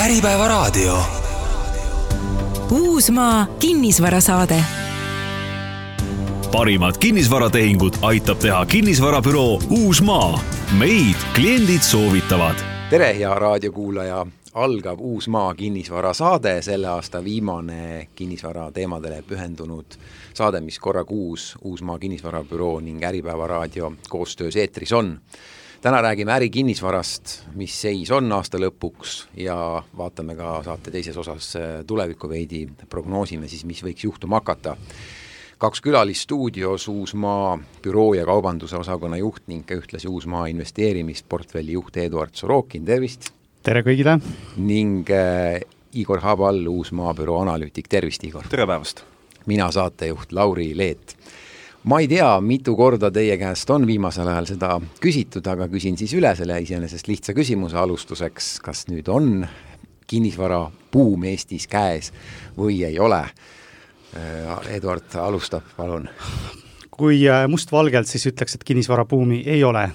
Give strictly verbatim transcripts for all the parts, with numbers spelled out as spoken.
Äripäeva raadio. Uusmaa kinnisvarasaade. Parimad kinnisvaratehingud aitab teha kinnisvarabüroo Uusmaa. Meid kliendid soovitavad. Tere, hea raadiokuulaja. Algab Uusmaa kinnisvarasaade, selle aasta viimane kinnisvara teemadele pühendunud saade, mis korra kuus Uusmaa kinnisvarabüroo ning Äripäeva raadio koostöös eetris on. Täna räägime äri kinnisvarast, mis seis on aasta lõpuks ja vaatame ka saate teises osas tulevikku veidi, prognoosime siis, mis võiks juhtuma hakata. Kaks külalist stuudios Uusmaa büroo ja kaubanduse osakonna juht ning ühtlasi Uusmaa investeerimisportfelli juht Eduard Sorokin, tervist! Tere kõigile! Ning äh, Igor Habal, Uusmaa büroo analüütik, tervist Igor! Tere päevast! Mina saatejuht Lauri Leet. Ma ei tea, mitu korda teie käest on viimasel ajal seda küsitud, aga küsin siis üle selle iseenesest lihtsa küsimuse alustuseks, kas nüüd on kinnisvara buum Eestis käes või ei ole. Eduard alustab, palun. Kui mustvalgelt siis ütleks, et kinnisvara buumi ei ole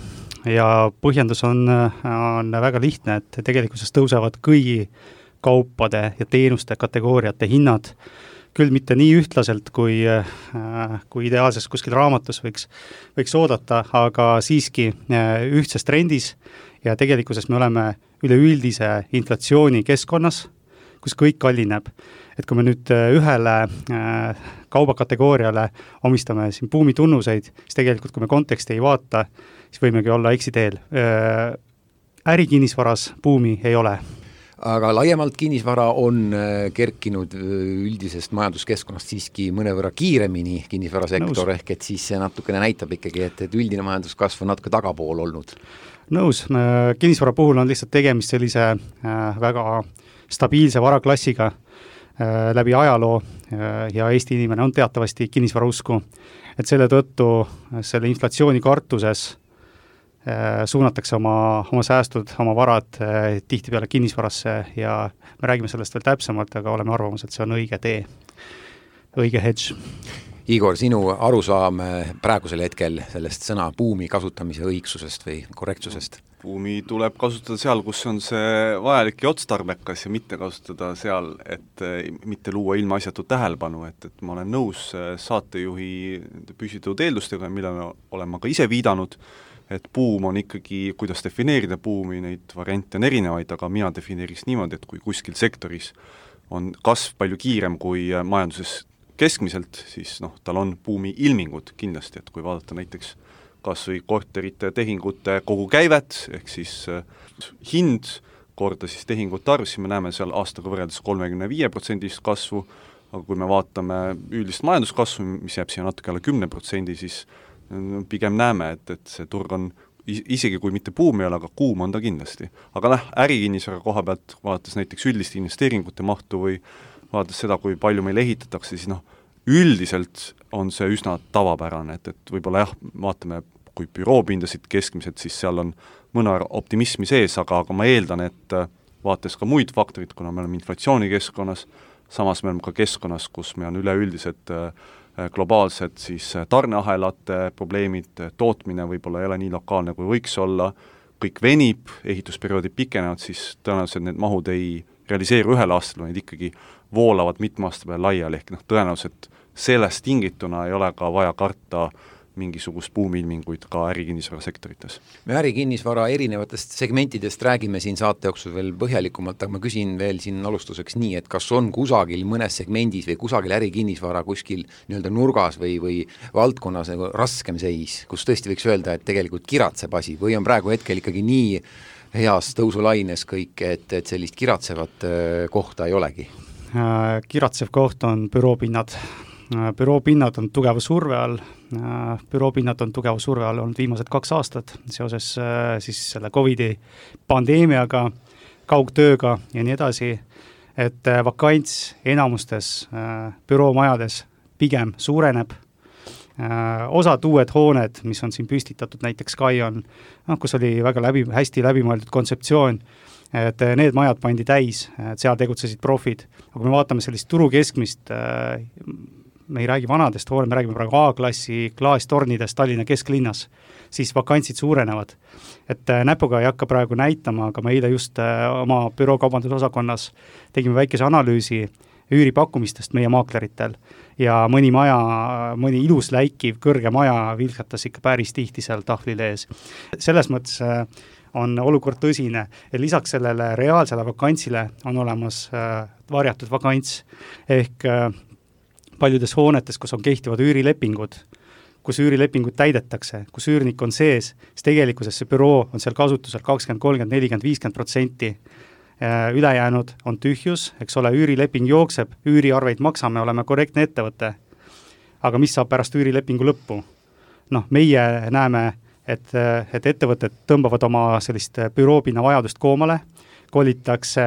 ja põhjendus on, on väga lihtne, et tegelikkuses tõusevad kõigi kaupade ja teenuste kategooriate hinnad, küll mitte nii ühtlaselt, kui, kui ideaalses kuskil raamatus võiks, võiks oodata, aga siiski ühtses trendis ja tegelikkuses me oleme üleüldise inflatsiooni keskkonnas, kus kõik kallineb. Et kui me nüüd ühele kaubakategooriale omistame siin buumi tunnuseid, siis tegelikult kui me konteksti ei vaata, siis võimegi olla eksiteel. Ärikinnisvaras buumi ei ole. Aga laiemalt kinnisvara on kerkinud üldisest majanduskeskkonnast siiski mõnevõrra kiiremini kinnisvarasektor, Nõus. Ehk et siis see natukene näitab ikkagi, et, et üldine majanduskasv on natuke tagapool olnud. Nõus, kinnisvara puhul on lihtsalt tegemist sellise väga stabiilse varaklassiga läbi ajaloo ja Eesti inimene on teatavasti kinnisvara usku, et selle tõttu selle inflatsiooni kartuses suunatakse oma, oma säästud, oma varad tihti peale kinnisvarasse ja me räägime sellest veel täpsemalt, aga oleme arvamus, et see on õige tee, õige hedge. Igor, sinu arusaam praegusel hetkel sellest sõna buumi kasutamise õigsusest või korrektsusest? Buumi tuleb kasutada seal, kus on see vajalik ja otstarbekas ja mitte kasutada seal, et mitte luua ilma asjatu tähelepanu, et, et ma olen nõus saatejuhi püsitud eeldustega, mille olen ma ka ise viidanud, et buum on ikkagi, kuidas defineerida buumi, neid variante on erinevaid, aga mina defineeriks niimoodi, et kui kuskil sektoris on kasv palju kiirem kui majanduses keskmiselt, siis noh, tal on buumi ilmingud kindlasti, et kui vaadata näiteks kas või korterite tehingute kogu käivet, ehk siis hind korda siis tehingute arv, siis me näeme seal aastaga võrreldes kolmekümne viie protsendist kasvu, aga kui me vaatame üldist majanduskasvu, mis jääb siia natuke alla kümne protsendi, siis pigem näeme, et, et see turg on, isegi kui mitte buum ei ole, aga kuum on ta kindlasti. Aga noh, ärikinnisvara koha pealt vaadates näiteks üldist investeeringute mahtu või vaadates seda, kui palju meil ehitatakse, siis noh, üldiselt on see üsna tavapärane, et, et võib-olla jah, vaatame, kui büroopindasid keskmiselt, siis seal on mõne optimismi sees, aga, aga ma eeldan, et vaates ka muid faktorid, kuna me oleme inflatsioonikeskkonnas, samas me oleme ka keskkonnas, kus me on üleüldiselt globaalsed siis tarneahelate probleemid, tootmine võib-olla ei ole nii lokaalne, kui võiks olla, kõik venib, ehitusperioodid pikenevad, siis tõenäoliselt need mahud ei realiseeru ühel aastal, vaid ikkagi voolavad mitme aasta peale laiali, ehk noh, tõenäoliselt sellest tingituna ei ole ka vaja karta mingisugust buumilminguid ka ärikinnisvara sektorites. Me ärikinnisvara erinevatest segmentidest räägime siin saate jooksul veel põhjalikumalt, aga ma küsin veel siin alustuseks nii, et kas on kusagil mõnes segmendis või kusagil ärikinnisvara kuskil nii-öelda nurgas või, või valdkonnas nagu raskem seis, kus tõesti võiks öelda, et tegelikult kiratseb asi või on praegu hetkel ikkagi nii heas tõusulaines kõik, et, et sellist kiratsevat kohta ei olegi? Kiratsev koht on büroopinnad. Büroopinnad on tugeva surve all, büroopinnad on tugeva surve all olnud viimased kaks aastat seoses siis selle Covidi pandeemiaga, kaugtööga ja nii edasi, et vakants enamustes büroomajades pigem suureneb. Osad uued hooned, mis on siin püstitatud, näiteks Sky on, no, kus oli väga läbi, hästi läbimõeldud kontseptsioon, et need majad pandi täis, et seal tegutsesid profid. Aga kui me vaatame sellist turu keskmist me ei räägi vanadest hoone, me räägime praegu A-klassi klaastornidest Tallinna kesklinnas, siis vakantsid suurenevad. Et näpuga ei hakka praegu näitama, aga me eile just oma büroo kaubandusosakonnas tegime väikese analüüsi üüripakkumistest meie maakleritel ja mõni maja, mõni ilus läikiv kõrge maja vilkatas ikka päris tihti seal tahvlil ees. Selles mõttes on olukord tõsine ja lisaks sellele reaalsele vakantsile on olemas varjatud vakants ehk paljudes hoonetes, kus on kehtivad üürilepingud, kus üürilepingud täidetakse, kus üürnik on sees, siis tegelikkuses see büroo on seal kasutusel kakskümmend, kolmkümmend, nelikümmend, viiskümmend protsenti. Ülejäänud on tühjus, eks ole, üürileping jookseb, üüriarveid maksame, oleme korrektne ettevõte. Aga mis saab pärast üürilepingu lõppu? Noh, meie näeme, et, et ettevõtted tõmbavad oma sellist büroopinna vajadust koomale, kolitakse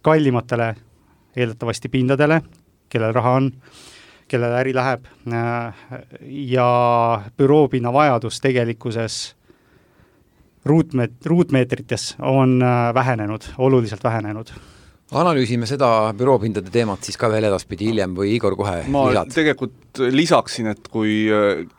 kallimatele eeldatavasti pindadele, kellel raha on, kellel äri läheb ja büroopinna vajadus tegelikkuses ruutmeet-, ruutmeetrites on vähenenud, oluliselt vähenenud. Analüüsime seda büroopindade teemat siis ka veel edaspidi hiljem või Igor kohe ma lisad? tegelikult lisaksin, et kui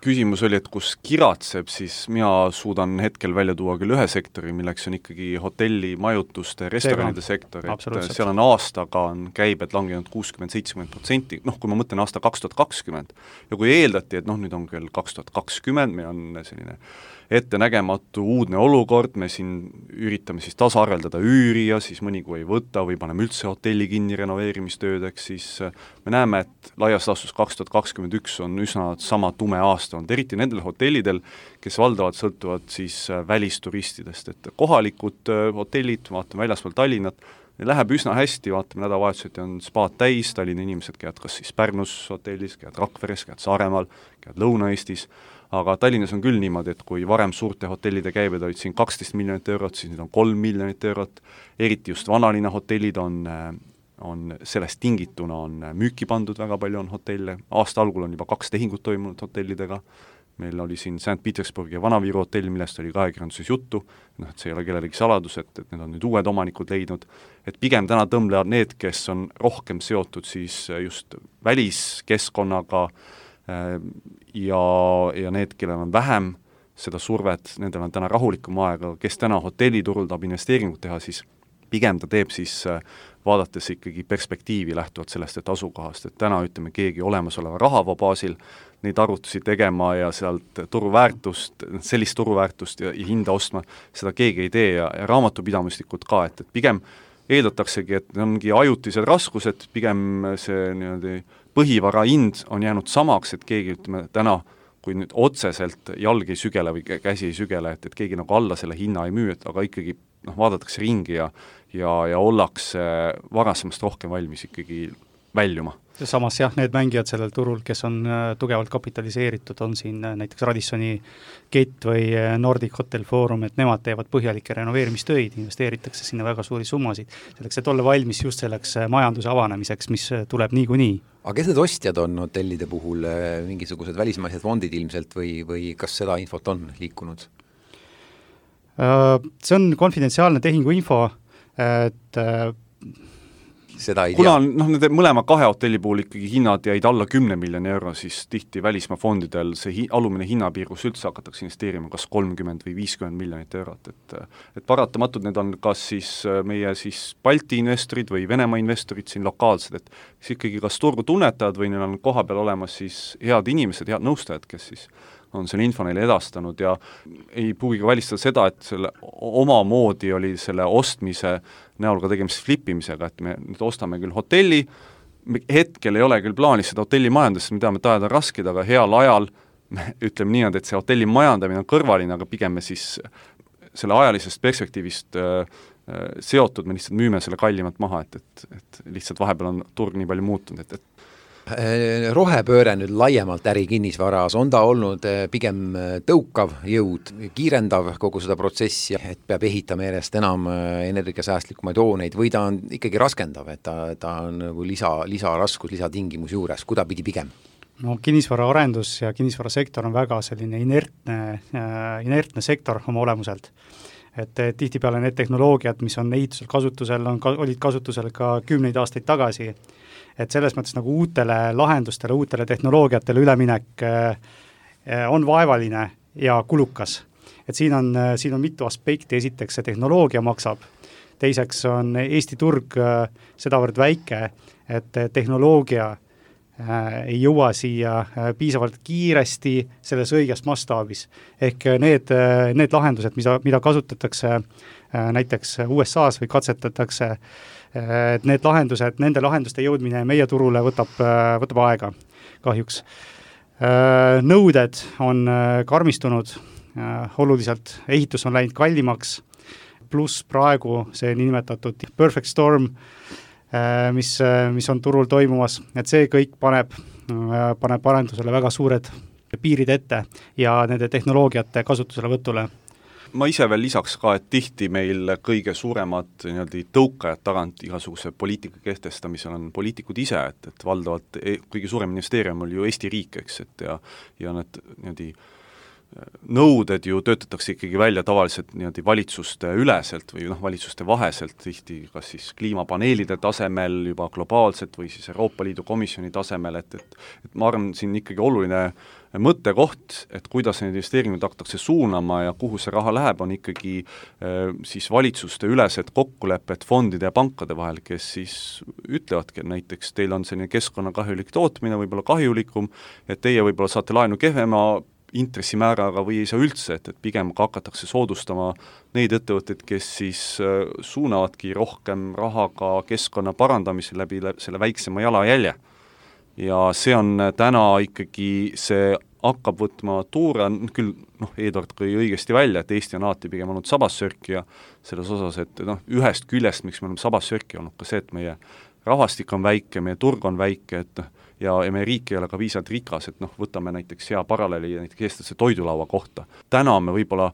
küsimus oli, et kus kiratseb, siis mina suudan hetkel välja tuua küll ühe sektori, milleks on ikkagi hotelli, majutuste, restoranide sektor, et seal on aastaga on käibed langenud kuuskümmend seitsekümmend protsenti, noh kui ma mõtlen aasta kaks tuhat kakskümmend ja kui eeldati, et noh nüüd on küll kaks tuhat kakskümmend, meil on selline ettenägematu uudne olukord, me siin üritame siis tasaarveldada üüri ja siis mõni kui ei võta või paneme üldse hotelli kinni renoveerimistöödeks, siis me näeme, et laias laastus kaks tuhat kakskümmend üks on üsna sama tume aasta olnud, eriti nendel hotellidel, kes valdavalt sõltuvad siis välisturistidest, et kohalikud hotellid, vaatame väljaspool Tallinnat, läheb üsna hästi, vaatame nädalavahetuseti on spaad täis, Tallinna inimesed käivad kas siis Pärnus hotellis, käivad Rakveres, käivad Saaremaal, käivad Lõuna-Eestis, aga Tallinnas on küll niimoodi, et kui varem suurte hotellide käibed olid siin kaksteist miljonit eurot, siis nüüd on kolm miljonit eurot, eriti just vanalinna hotellid on, on sellest tingituna on müüki pandud, väga palju on hotelle, aasta algul on juba kaks tehingut toimunud hotellidega, meil oli siin Sankt Petersburgi ja Vana-Viru hotell, millest oli ka ajakirjanduses juttu, noh, et see ei ole kellelegi saladus, et, et need on nüüd uued omanikud leidnud, et pigem täna tõmblevad need, kes on rohkem seotud siis just väliskeskkonnaga ja, ja need, kellel on vähem seda survet, nendel on täna rahulikum aega, kes täna hotelliturul tahab investeeringut teha, siis pigem ta teeb siis vaadates ikkagi perspektiivi lähtuvalt sellest, et asukohast, et täna ütleme keegi olemasoleva rahavoo baasil neid arvutusi tegema ja sealt turuväärtust, sellist turuväärtust ja, ja hinda ostma, seda keegi ei tee ja, ja raamatupidamislikult ka, et, et pigem eeldataksegi, et ongi ajutised raskused, pigem see niimoodi põhivara hind on jäänud samaks, et keegi ütleme täna, kui nüüd otseselt jalg ei sügele või käsi ei sügele, et, et keegi nagu alla selle hinna ei müü, et aga ikkagi noh, vaadatakse ringi ja, ja, ja ollakse varasemast rohkem valmis ikkagi väljuma. Samas jah, need mängijad sellel turul, kes on tugevalt kapitaliseeritud, on siin näiteks Radissoni Gate või Nordic Hotel Forum, et nemad teevad põhjalikke renoveerimistöid, investeeritakse sinna väga suuri summasid, selleks, et olla valmis just selleks majanduse avanemiseks, mis tuleb niikuinii. Aga kes need ostjad on hotellide puhul, mingisugused välismaised fondid ilmselt või, või kas seda infot on liikunud? See on konfidentsiaalne tehinguinfo, et seda ei kuna tea. noh, nende mõlema kahe hotelli puhul ikkagi hinnad jäid alla kümne miljoni euro, siis tihti välismaa fondidel see hi- alumine hinnapiirus üldse hakatakse investeerima kas kolmkümmend või viiskümmend miljonit eurot, et et paratamatult need on kas siis meie siis Balti investorid või Venemaa investorid siin lokaalsed, et siis ikkagi kas turgu tunnetavad või neil on koha peal olemas siis head inimesed, head nõustajad, kes siis on selle info neile edastanud ja ei pruugi välistada seda, et selle omamoodi oli selle ostmise näol ka tegemist flippimisega, et me nüüd ostame küll hotelli, hetkel ei ole küll plaanis seda hotelli majandust, me teame, et ajad on rasked, aga heal ajal me ütleme nii, et see hotelli majandamine on kõrvaline, aga pigem me siis selle ajalisest perspektiivist äh, seotud, me lihtsalt müüme selle kallimalt maha, et, et, et lihtsalt vahepeal on turg nii palju muutunud, et, et rohepööre nüüd laiemalt äri kinnisvaras, on ta olnud pigem tõukav jõud, kiirendav kogu seda protsessi, et peab ehitama järjest enam energiasäästlikumaid hooneid või ta on ikkagi raskendav, et ta, ta on nagu lisa, lisaraskus, lisatingimus juures, kuda pidi pigem? No kinnisvara arendus ja kinnisvarasektor on väga selline inertne, inertne sektor oma olemuselt. Et tihtipeale need tehnoloogiad, mis on ehitusel kasutusel, on, olid kasutusel ka kümneid aastaid tagasi et selles mõttes nagu uutele lahendustele, uutele tehnoloogiatele üleminek on vaevaline ja kulukas. Et siin on, siin on mitu aspekti, esiteks see tehnoloogia maksab, teiseks on Eesti turg sedavõrd väike, et tehnoloogia ei jõua siia piisavalt kiiresti selles õiges mastaabis. Ehk need, need lahendused, mida, mida kasutatakse näiteks U S A-s või katsetatakse, et need lahendused, nende lahenduste jõudmine meie turule võtab, võtab aega kahjuks. Nõuded on karmistunud oluliselt, ehitus on läinud kallimaks, pluss praegu see niinimetatud perfect storm, mis, mis on turul toimumas, et see kõik paneb, paneb arendusele väga suured piirid ette ja nende tehnoloogiate kasutusele võtule. Ma ise veel lisaks ka, et tihti meil kõige suuremad nii-öelda tõukajad tagant igasuguse poliitika kehtestamisel on poliitikud ise, et, et valdavalt kõige suurem investeerium oli ju Eesti riik, eks, et ja, ja need nii-öelda nõuded ju töötatakse ikkagi välja tavaliselt nii-öelda valitsuste üleselt või noh, valitsuste vaheselt, tihti kas siis kliimapaneelide tasemel juba globaalselt või siis Euroopa Liidu komisjoni tasemel, et, et, et ma arvan, siin ikkagi oluline mõttekoht, et kuidas need investeeringud hakatakse suunama ja kuhu see raha läheb, on ikkagi eh, siis valitsuste ülesed kokkulepped fondide ja pankade vahel, kes siis ütlevadki, et näiteks teil on selline keskkonnakahjulik tootmine, võib-olla kahjulikum, et teie võib-olla saate laenu kehvema intressimääraga või ei saa üldse, et, et pigem ka hakatakse soodustama neid ettevõtteid, kes siis äh, suunavadki rohkem raha ka keskkonna parandamise läbi, läbi selle väiksema jalajälje. Ja see on täna ikkagi, see hakkab võtma tuure, küll noh, Eduard kõi õigesti välja, et Eesti on alati pigem olnud sabassörkija selles osas, et noh, ühest küljest, miks me oleme sabassörkija olnud ka see, et meie rahvastik on väike, meie turg on väike, et ja, ja meie riik ei ole ka viisalt rikas, et noh, võtame näiteks hea paralleeli näiteks eestlase toidulaua kohta. Täna me võib-olla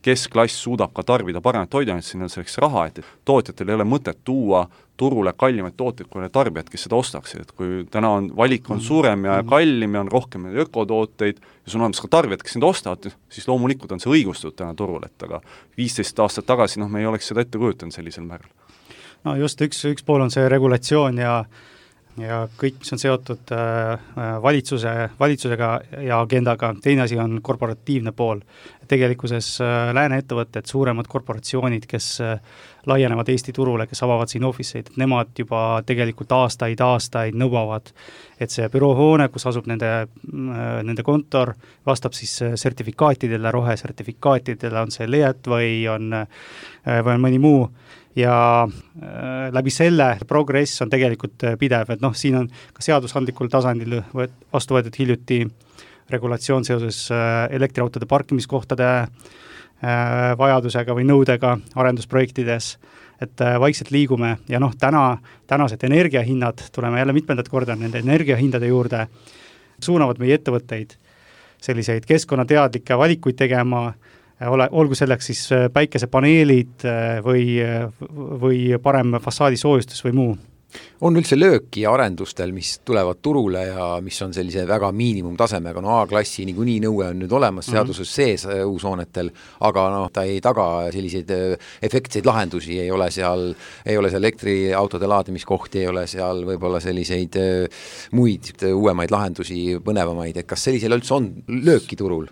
keskklass suudab ka tarbida paremat toiduainet, siin on selleks raha, et tootjatel ei ole mõtet tuua turule kallimaid tooteid kui need tarbijad, kes seda ostaksid, et kui täna on valik on suurem ja kallim ja on rohkem ökotooteid ja sul on olemas ka tarbijad, kes neid ostavad, siis loomulikult on see õigustatud täna turul, et aga viisteist aastat tagasi noh, me ei oleks seda ette kujutanud sellisel määral. No just üks, üks pool on see regulatsioon ja ja kõik, mis on seotud valitsuse, valitsusega ja agendaga, teine asi on korporatiivne pool. Tegelikkuses lääne ettevõtted, suuremad korporatsioonid, kes laienevad Eesti turule, kes avavad siin officeid, nemad juba tegelikult aastaid, aastaid nõuavad, et see büroohoone, kus asub nende, nende kontor, vastab siis sertifikaatidele, rohesertifikaatidele, on see L E E T või on, või on mõni muu, ja läbi selle progress on tegelikult pidev, et noh, siin on ka seadusandlikul tasandil vastu võetud hiljuti regulatsioon seoses elektriautode parkimiskohtade vajadusega või nõudega arendusprojektides, et vaikselt liigume ja noh, täna, tänased energiahinnad, tuleme jälle mitmendat korda nende energiahindade juurde, suunavad meie ettevõtteid selliseid keskkonnateadlikke valikuid tegema, ole, olgu selleks siis päikesepaneelid või, või parem fassaadisoojustus või muu. On üldse lööki arendustel, mis tulevad turule ja mis on sellise väga miinimumtasemega, no A-klassi niikuinii nõue on nüüd olemas seaduses sees uushoonetel, aga noh, ta ei taga selliseid efektseid lahendusi, ei ole seal, ei ole seal elektriautode laadimiskohti, ei ole seal võib-olla selliseid muid uuemaid lahendusi, põnevamaid, et kas sellisel üldse on lööki turul?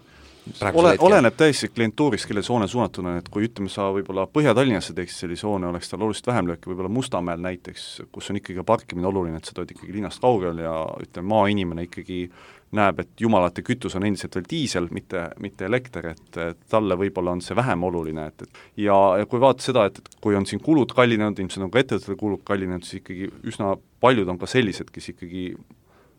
Ole, oleneb täiesti klientuurist, kelle soone suunatud on, et kui ütleme sa võib-olla Põhja-Tallinnasse teeksid selli soone, oleks tal oluliselt vähem lööki, võib-olla Mustamäel näiteks, kus on ikkagi parkimine oluline, et sa tood ikkagi linnast kaugel ja ütleme, maainimene ikkagi näeb, et jumalate kütus on endiselt veel diisel, mitte, mitte elekter, et, et talle võib-olla on see vähem oluline, et, et ja, ja kui vaata seda, et, et kui on siin kulud kallinenud, ilmselt on ka ettevõttel kulud kallinenud, siis ikkagi üsna paljud on ka sellised, kes ikkagi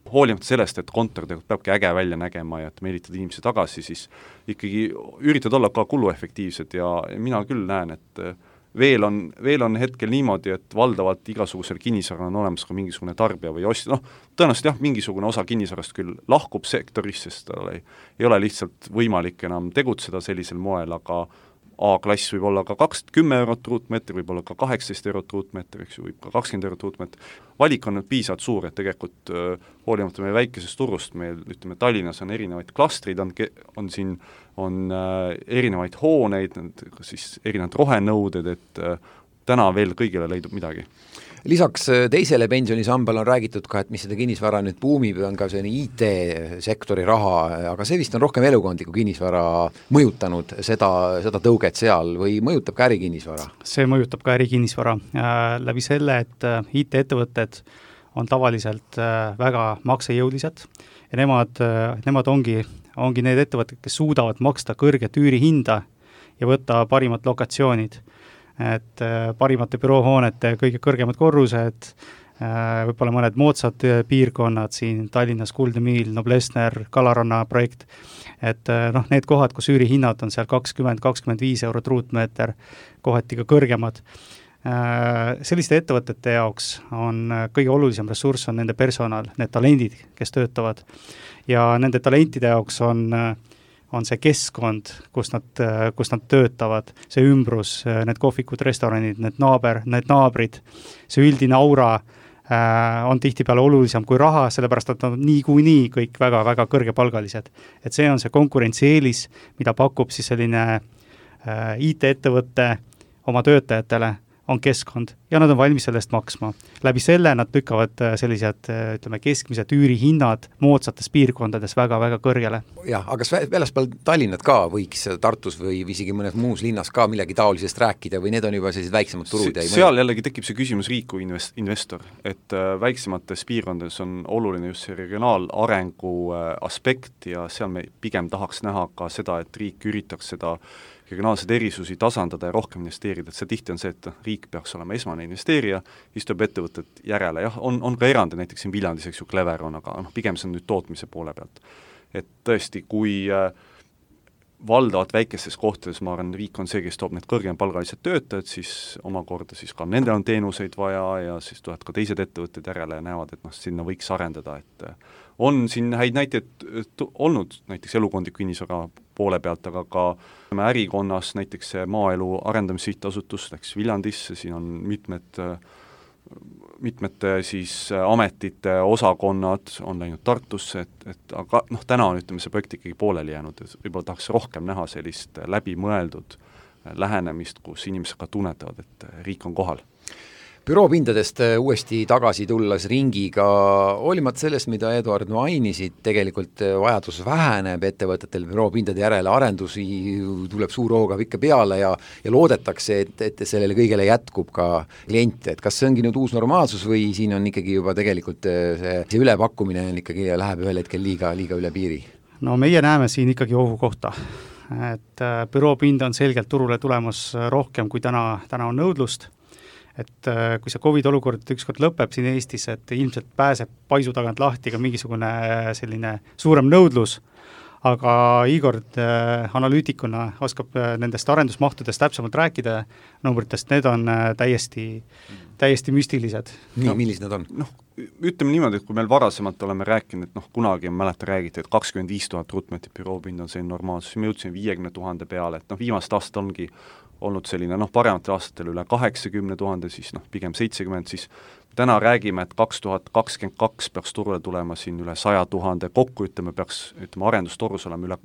hoolimata sellest, et kontor peabki äge välja nägema ja et meelitada inimesi tagasi, siis ikkagi üritad olla ka kuluefektiivsed ja mina küll näen, et veel on, veel on hetkel niimoodi, et valdavalt igasugusel kinnisvaral on olemas ka mingisugune tarbija või ostja, noh, tõenäoliselt jah, mingisugune osa kinnisvarast küll lahkub sektorist, sest tal ei, ei ole lihtsalt võimalik enam tegutseda sellisel moel, aga A-klass võib olla ka kakskümmend kümme eurot ruutmeetri, võib olla ka kaheksateist eurot ruutmeetri, eks ju, võib ka kakskümmend eurot ruutmeetri. Valik on nüüd piisavalt suur, et tegelikult äh, hoolimata meie väikesest turust, meil ütleme, Tallinnas on erinevaid klastrid, on, on siin on äh, erinevaid hooneid, siis erinevad rohenõuded, et äh, täna veel kõigile leidub midagi. Lisaks teisele pensionisambale on räägitud ka, et mis seda kinnisvara nüüd buumib, on ka selline I T-sektori raha, aga see vist on rohkem elukondliku kinnisvara mõjutanud seda, seda tõuget seal või mõjutab ka ärikinnisvara? See mõjutab ka ärikinnisvara äh, läbi selle, et äh, I T-ettevõtted on tavaliselt äh, väga maksejõulised ja nemad, äh, nemad ongi, ongi need ettevõtted, kes suudavad maksta kõrget üürihinda ja võtta parimad lokatsioonid. Et äh, parimate büroohoonete kõige kõrgemad korrused, äh, võib-olla mõned moodsad piirkonnad siin Tallinnas, Kuldne Miil, Noblessner, Kalaranna projekt, et äh, noh, need kohad, kus üürihinnad on seal kakskümmend kakskümmend viis eurot ruutmeeter, kohati ka kõrgemad. Äh, selliste ettevõtete jaoks on kõige olulisem ressurss on nende personal, need talendid, kes töötavad ja nende talentide jaoks on äh, on see keskkond, kus nad, kus nad töötavad, see ümbrus, need kohvikud, restoranid, need naaber, need naabrid, see üldine aura äh, on tihtipeale olulisem kui raha, sellepärast et nad on niikuinii kõik väga-väga kõrgepalgalised. Et see on see konkurentsieelis, mida pakub siis selline äh, I T-ettevõtte oma töötajatele, on keskkond ja nad on valmis sellest maksma. Läbi selle nad lükkavad sellised, ütleme, keskmised üürihinnad moodsates piirkondades väga-väga kõrgele. Jah, aga kas väljaspool Tallinnat ka võiks Tartus või isegi mõnes muus linnas ka millegi taolisest rääkida või need on juba sellised väiksemad turud? Se, seal jällegi tekib see küsimus riik kui invest, investor, et väiksemates piirkondades on oluline just see regionaalarengu aspekt ja seal me pigem tahaks näha ka seda, et riik üritaks seda regionaalseid erisusi tasandada ja rohkem investeerida, et see tihti on see, et riik peaks olema esmane investeerija, istub ettevõtted järele, jah, on, on ka erandi, näiteks siin Viljandis, eks ju, Clever on, aga noh, pigem see on nüüd tootmise poole pealt. Et tõesti, kui äh, valdavad väikestes kohtades, ma arvan, riik on see, kes toob need kõrgempalgalised töötajad, siis omakorda siis ka nendel on teenuseid vaja ja siis tulevad ka teised ettevõtted järele ja näevad, et noh, sinna võiks arendada, et on siin häid näiteid olnud näiteks elukondliku kinnisvara poole pealt, aga ka ärikonnas näiteks see maaelu arendamissihtasutust läks Viljandisse, siin on mitmed, mitmete siis ametite osakonnad on läinud Tartusse, et, et aga noh, täna on ütleme see projekt ikkagi pooleli jäänud, võib-olla tahaks rohkem näha sellist läbimõeldud lähenemist, kus inimesed ka tunnetavad, et riik on kohal. Büroopindadest uuesti tagasi tulles ringiga, hoolimata sellest, mida Eduard mainisid, tegelikult vajadus väheneb ettevõtetel büroopindade järele, arendusi tuleb suur hooga ikka peale ja, ja loodetakse, et, et sellele kõigele jätkub ka kliente, et kas see ongi nüüd uus normaalsus või siin on ikkagi juba tegelikult see, see ülepakkumine on ikkagi läheb ühel hetkel liiga, liiga üle piiri? No meie näeme siin ikkagi ohu kohta, et büroopinda on selgelt turule tulemas rohkem, kui täna, täna on nõudlust. Et kui see Covid olukord ükskord lõpeb siin Eestis, et ilmselt pääseb paisu tagant lahti ka mingisugune selline suurem nõudlus, aga Igor analüütikuna oskab nendest arendusmahtudest täpsemalt rääkida numbritest, need on täiesti, täiesti müstilised. Nii no,, millised need on? Noh, ütleme niimoodi, et kui meil varasemalt oleme rääkinud, et noh, kunagi on mäleta räägiti, et kakskümmend viis tuhat ruutmeetrit büroopind on selline normaalsus, me jõudsime viiekümne tuhande peale, et noh, viimast aastat ongi olnud selline, noh, parematel aastatel üle kaheksakümne tuhande, siis noh, pigem seitsekümmend, siis täna räägime, et kaks tuhat kakskümmend kaks peaks turule tulema siin üle saja tuhande, kokku ütleme, peaks, ütleme, arendustorus olema üle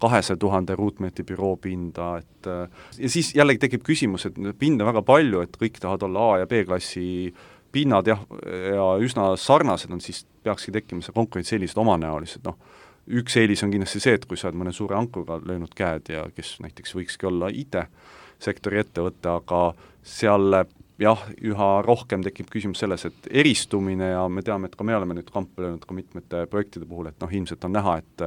kahesaja tuhande ruutmeetri büroopinda, et ja siis jällegi tekib küsimus, et pinda väga palju, et kõik tahavad olla A- ja B-klassi pinnad jah, ja üsna sarnased on, siis peakski tekkima see konkurents sellised omanäolised, noh, üks eelis on kindlasti see, et kui sa oled mõne suure ankuga löönud käed ja kes näiteks võikski olla I T sektori ettevõtte, aga seal jah, üha rohkem tekib küsimus selles, et eristumine ja me teame, et ka me oleme nüüd kampa löönud ka mitmete projektide puhul, et noh, ilmselt on näha, et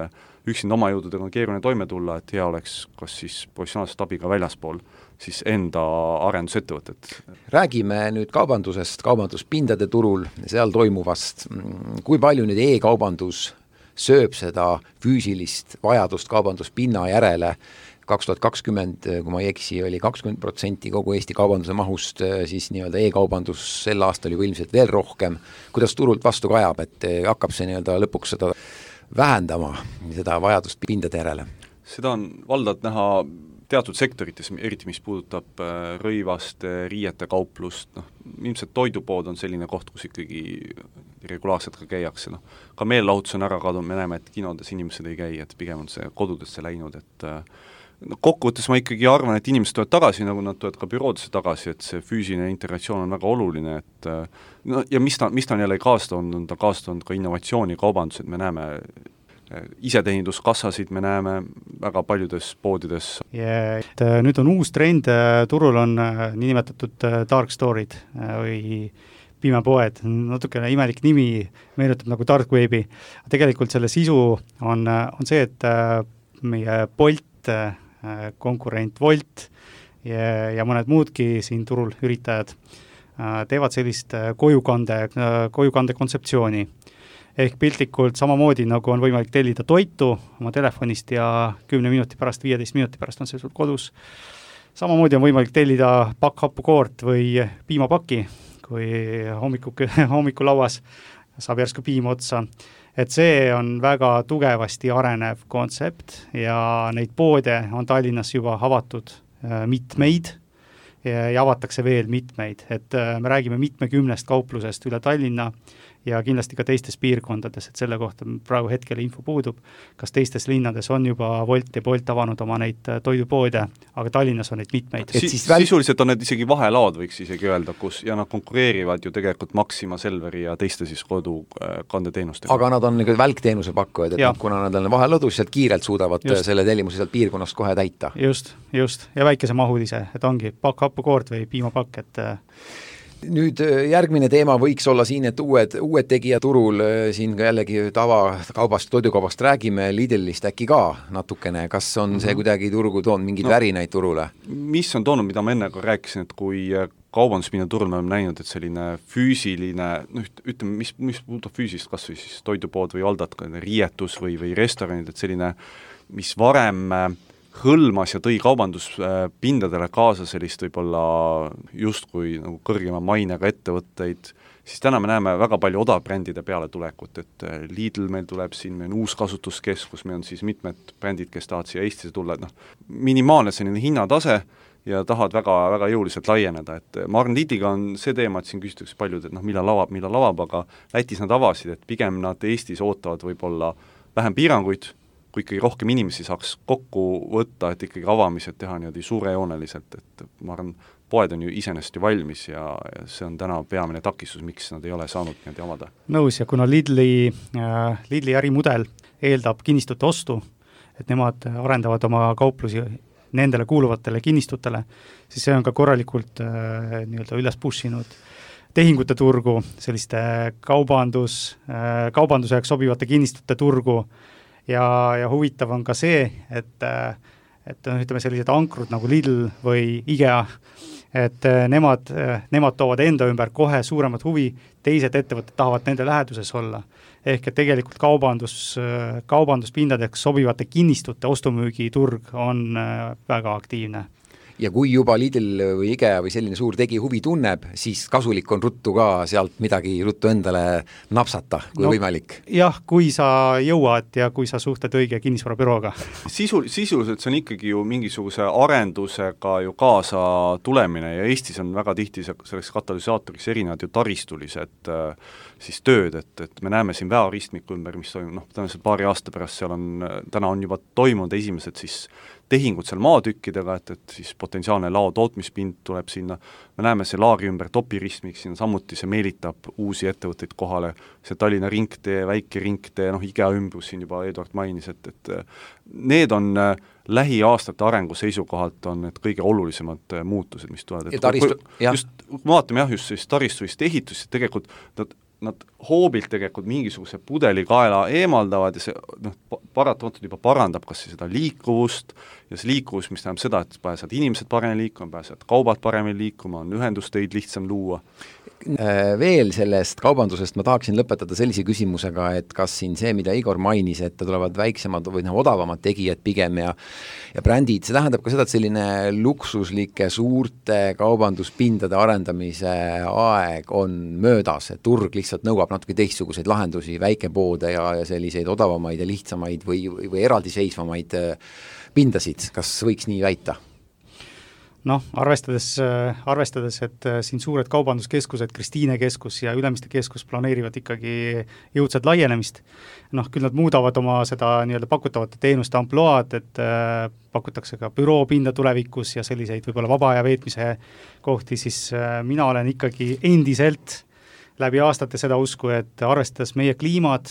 üksinda oma jõududega on keeruline toime tulla, et hea oleks kas siis professionaalset abiga väljaspool siis enda arendusettevõtet. Räägime nüüd kaubandusest, kaubanduspindade turul, seal toimuvast. Kui palju nüüd e-kaubandus sööb seda füüsilist vajadust kaubanduspinna järele? kaks tuhat kakskümmend, kui ma ei eksi, oli kakskümmend protsenti kogu Eesti kaubanduse mahust, siis nii-öelda e-kaubandus sel aastal juba ilmselt veel rohkem. Kuidas turult vastu kajab, et hakkab see nii-öelda lõpuks seda vähendama, seda vajadust pindade järele? Seda on valdavalt näha teatud sektorites, eriti mis puudutab rõivast, riiete kauplust, noh, ilmselt toidupood on selline koht, kus ikkagi regulaarselt ka käiakse, noh, ka meelelahutus on ära kadunud, me näeme, et kinodes inimesed ei käi, et pigem on see kodudesse läinud, et no kokkuvõttes ma ikkagi arvan, et inimesed tulevad tagasi, nagu nad tulevad ka büroodesse tagasi, et see füüsiline integratsioon on väga oluline, et no ja mis ta, mis ta on jälle kaasa toonud, on ta kaasa toonud ka innovatsiooni kaubandused, me näeme iseteeninduskassasid, me näeme väga paljudes poodides. Yeah, et nüüd on uus trend, turul on niinimetatud dark store'id või pimepoed, natukene imelik nimi, meenutab nagu dark webi. Tegelikult selle sisu on, on see, et meie Bolt, konkurent Wolt ja, ja mõned muudki siin turul üritajad teevad sellist kojukande, kojukande kontseptsiooni. Ehk piltlikult samamoodi, nagu on võimalik tellida toitu oma telefonist ja kümne minuti pärast, viieteist minuti pärast on see sul kodus. Samamoodi on võimalik tellida pakk happukoort või piimapaki, kui hommiku, hommikulauas saab järsku piim otsa. Et see on väga tugevasti arenev kontsept ja neid poode on Tallinnas juba avatud mitmeid ja, ja avatakse veel mitmeid. Et me räägime mitmekümnest kauplusest üle Tallinna ja kindlasti ka teistes piirkondades, et selle kohta praegu hetkel info puudub, kas teistes linnades on juba Wolt ja Bolt avanud oma neid toidupoode, aga Tallinnas on neid mitmeid. Si siis väl... Sisuliselt on need isegi vahelaod, võiks isegi öelda, kus ja nad konkureerivad ju tegelikult Maxima, Selveri ja teiste siis kodukandeteenustega. Aga nad on nagu välkteenuse pakkujad, et nad, kuna nad on vahelõdus, sealt kiirelt suudavad just selle tellimuse sealt piirkonnast kohe täita. Just, just. Ja väikese mahulise, et ongi pakk happukoort või piimapakk, et nüüd järgmine teema võiks olla siin, et uued, uued tegija turul, siin ka jällegi tava kaubast, toidukaubast räägime, Lidlist äkki ka natukene, kas on see kuidagi turgu toonud mingeid no, värinaid turule? Mis on toonud, mida ma enne ka rääkisin, et kui kaubanduspinna turul me oleme näinud, et selline füüsiline, no ütleme, mis, mis puudutab füüsist, kas või siis toidupood või aldad, riietus või, või restoranid, et selline, mis varem hõlmas ja tõi kaubanduspindadele kaasa sellist võib-olla justkui nagu kõrgema mainega ettevõtteid, siis täna me näeme väga palju odavbrändide peale tulekut, et Lidl meil tuleb siin, meil on uus kasutuskeskus, meil on siis mitmed brändid, kes tahavad siia Eestisse tulla, et noh, minimaalne selline hinnatase ja tahavad väga, väga jõuliselt laieneda, et ma arvan, Lidliga on see teema, et siin küsitakse paljud, et noh, millal avab, millal avab, aga Lätis nad avasid, et pigem nad Eestis ootavad võib-olla vähem piiranguid, kui ikkagi rohkem inimesi saaks kokku võtta, et ikkagi avamised teha niimoodi suurejooneliselt, et ma arvan, poed on ju iseenesest ju valmis ja, ja see on täna peamine takistus, miks nad ei ole saanud niimoodi avada. Nõus, ja kuna Lidli, äh, Lidli ärimudel eeldab kinnistute ostu, et nemad arendavad oma kauplusi nendele kuuluvatele kinnistutele, siis see on ka korralikult äh, nii-öelda üles pushinud tehingute turgu, selliste kaubandus, äh, kaubanduseks sobivate kinnistute turgu. Ja, ja huvitav on ka see, et, et ütleme sellised ankrud nagu Lidl või IKEA, et nemad, nemad toovad enda ümber kohe suuremat huvi, teised ettevõtted tahavad nende läheduses olla. Ehk et tegelikult kaubandus, kaubanduspindadeks sobivate kinnistute ostumüügi turg on väga aktiivne. Ja kui juba Lidl või IKEA või selline suur tegi huvi tunneb, siis kasulik on ruttu ka sealt midagi ruttu endale napsata, kui no, võimalik. Jah, kui sa jõuad ja kui sa suhted õige kinnisvarabürooga. Sisu, sisuliselt see on ikkagi ju mingisuguse arendusega ju kaasa tulemine ja Eestis on väga tihti selleks katalüsaatoriks erinevad ju taristulised siis tööd, et, et me näeme siin väeoristmiku ümber, mis toimub, noh, tõenäoliselt paari aasta pärast seal on, täna on juba toimunud esimesed siis tehingud seal maatükkidega, et, et siis potentsiaalne lao tootmispind tuleb sinna, me näeme see laari ümber topiristmik, siin samuti see meelitab uusi ettevõtteid kohale, see Tallinna ringtee, väike ringtee, noh IKEA ümbrus siin juba Eduard mainis, et, et need on lähiaastate arengu seisukohalt on need kõige olulisemad muutused, mis tulevad. Taristu, just, vaatame jah, just siis taristuvist ehitust, tegelikult nad nad hoobilt tegelikult mingisuguse pudelikaela eemaldavad ja see noh, paratamatult juba parandab kas seda liikuvust ja see liikuvus, mis tähendab seda, et pääsevad inimesed paremini liikuma, pääsevad kaubad paremini liikuma, on ühendusteid lihtsam luua. Veel sellest kaubandusest ma tahaksin lõpetada sellise küsimusega, et kas siin see, mida Igor mainis, et tulevad väiksemad või noh, odavamad tegijad pigem ja, ja brändid, see tähendab ka seda, et selline luksuslike suurte kaubanduspindade arendamise aeg on möödas, et turg lihtsalt nõuab natuke teistsuguseid lahendusi, väikepoode ja, ja selliseid odavamaid ja lihtsamaid või, või, või eraldiseisvamaid pindasid, kas võiks nii väita? noh, arvestades, arvestades, et siin suured kaubanduskeskused, Kristiine keskus ja Ülemiste keskus planeerivad ikkagi jõudsat laienemist, noh, küll nad muudavad oma seda nii-öelda pakutavate teenuste amploaad, et äh, pakutakse ka büroopinda tulevikus ja selliseid võib-olla vaba aja veetmise kohti, siis äh, mina olen ikkagi endiselt läbi aastate seda usku, et arvestades meie kliimad,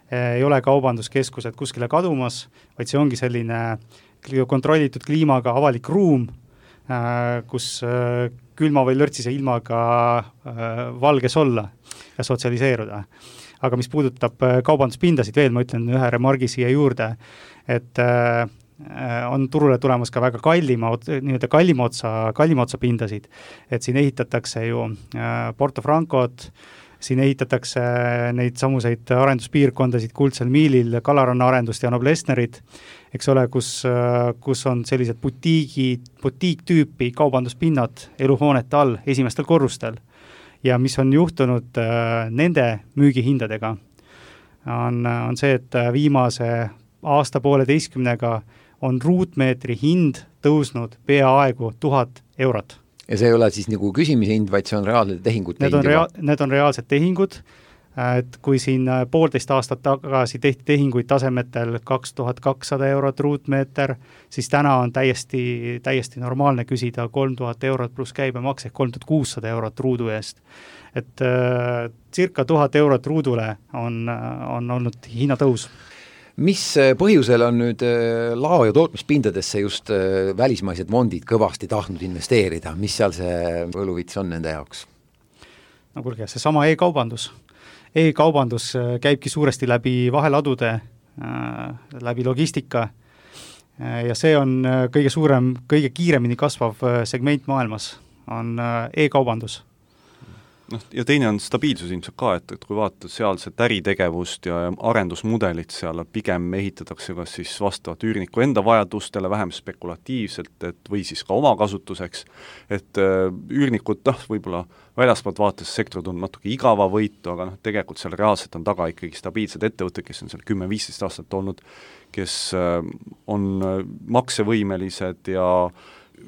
äh, ei ole kaubanduskeskused kuskile kadumas, vaid see ongi selline kontrollitud kliimaga avalik ruum, äh, kus äh, külma või lörtsise ilmaga äh, valges olla ja sotsialiseeruda. Aga mis puudutab kaubanduspindasid veel, ma ütlen ühe remargi siia juurde, et äh, on turule tulemas ka väga kallima, nii-öelda kallima otsa, kallima otsa pindasid, et siin ehitatakse ju äh, Porto Francot, siin ehitatakse neid samuseid arenduspiirkondasid Kuldsel Miilil, Kalaranna arendust ja Noblessnerit, eks ole, kus, äh, kus on sellised butiigi, butiiktüüpi kaubanduspinnad eluhoonete all esimestel korrustel. Ja mis on juhtunud äh, nende müügihindadega, on, on see, et viimase aasta pooleteistkümnega on ruutmeetri hind tõusnud peaaegu tuhat eurot. Ja see ei ole siis nagu küsimise hind, vaid see on reaalsed tehingud? Need on, rea- need on reaalsed tehingud, et kui siin poolteist aastat tagasi tehti tehinguid tasemetel kaks tuhat kakssada eurot ruutmeeter, siis täna on täiesti, täiesti normaalne küsida kolm tuhat eurot pluss käibemaks ehk kolm tuhat kuussada eurot ruudu eest. Et äh, circa tuhat eurot ruudule on, on olnud hinnatõus. Mis põhjusel on nüüd lao- ja tootmispindadesse just välismaised fondid kõvasti tahtnud investeerida? Mis seal see võluvits on nende jaoks? No kuulge, see sama e-kaubandus. E-kaubandus käibki suuresti läbi vaheladude, läbi logistika ja see on kõige suurem, kõige kiiremini kasvav segment maailmas, on e-kaubandus. noh, ja teine on stabiilsus ilmselt ka, et, et kui vaatad sealset äritegevust ja arendusmudelit seal, pigem ehitatakse kas siis vastavalt üürniku enda vajadustele, vähem spekulatiivselt, et või siis ka omakasutuseks, et äh, üürnikud, noh, võib-olla väljaspoolt vaates sektor tundub natuke igava võitu, aga noh, tegelikult seal reaalselt on taga ikkagi stabiilsed ettevõtted, kes on seal kümme viisteist aastat olnud, kes äh, on maksevõimelised ja